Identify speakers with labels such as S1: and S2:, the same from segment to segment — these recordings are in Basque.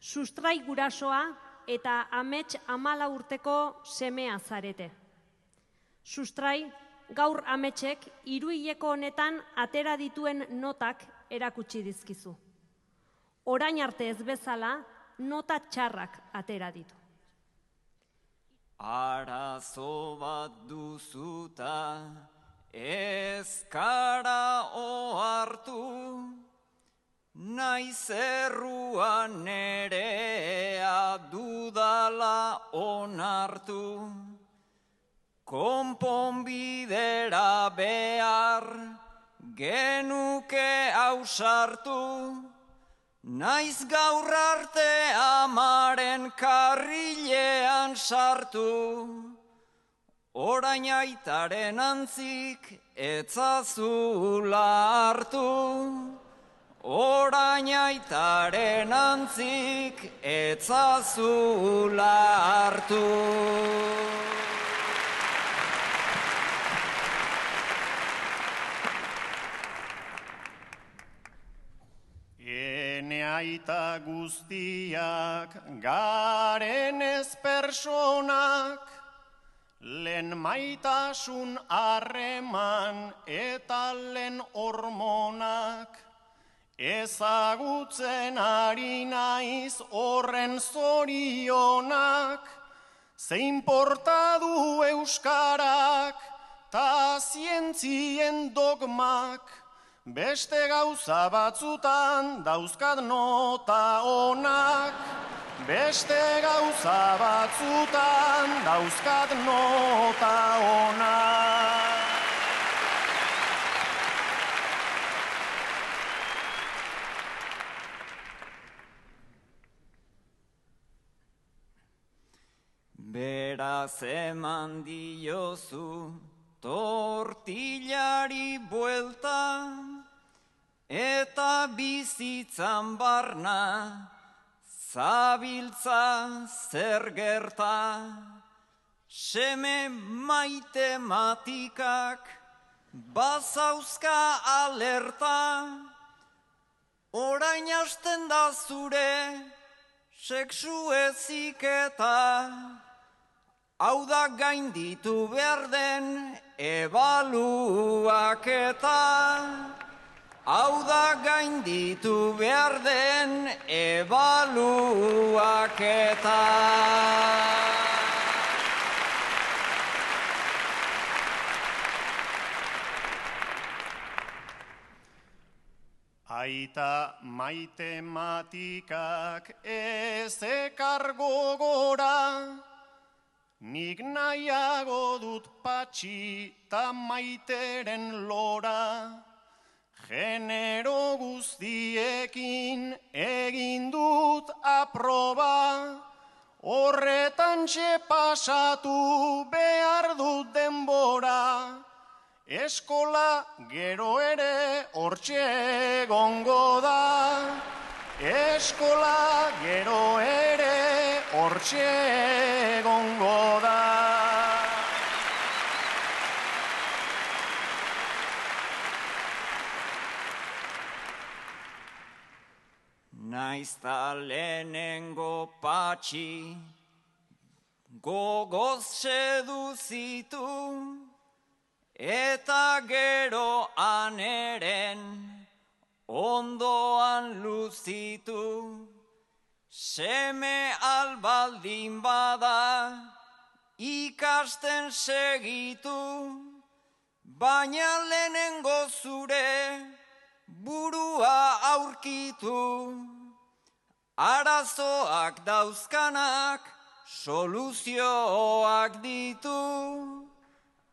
S1: Sustrai gurasoa eta amets 14 urteko semea zarete. Sustrai, gaur ametsek 3 hileko honetan atera dituen notak erakutsi dizkizu. Orain arte ez bezala, nota txarrak atera ditu.
S2: Arazo bat duzuta, ez kara ohartu, naiz erruan nerea dudala onartu, konponbidera behar genuke ausartu, naiz gaur arte amaren karrilean sartu, orain aitaren antzik etzazula hartu, orain aitaren antzik etzazula hartu.
S3: Ene aita guztiak garen ez personak, lehen maitasun harreman eta lehen hormonak, ezagutzen ari naiz horren zorionak, zein porta du euskarak ta zientzien dogmak, beste gauza batzutan dauzkat nota onak, beste gauza batzutan dauzkat nota onak.
S2: Beraz eman diozu tortillari buelta, eta bizitzan barna zabiltza zer gerta. Seme matematikak bazauzka alerta, orain hasten da zure sexu heziketa, hau da gainditu behar den ebaluaketa, hau da gainditu behar den ebaluaketa.
S3: Aita matematikak ez ekar gogora, nik nahiago dut patxi ta maiteren lora, genero guztiekin egin dut aproba, horretan pasatu behar dut denbora, eskola gero ere hortxe egongo da, eskola gero ere hortxe egongo da.
S2: Naizta lehenengo patxi gogoz seduzitu, eta gero aneren ondoan luzitu, seme albaldin bada ikasten segitu, baina lehenengo zure burua aurkitu, arazoak dauzkanak soluzioak ditu,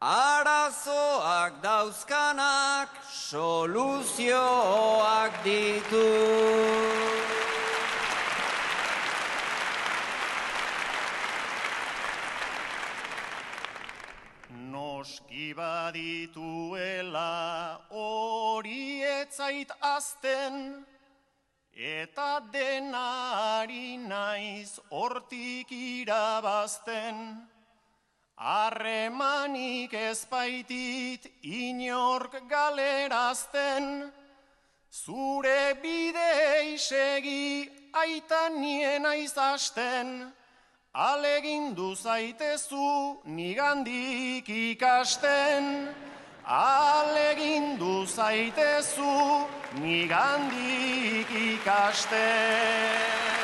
S2: arazoak dauzkanak soluzioak ditu.
S3: Noski badituela hori etzait azten, eta denari naiz hortik irabazten. Harremanik ezbaitit inork galerazten, zure bidei segi aita niena izasten, alegindu zaitezu nigandik ikasten. Alegindu zaitezu nigandik ikasten.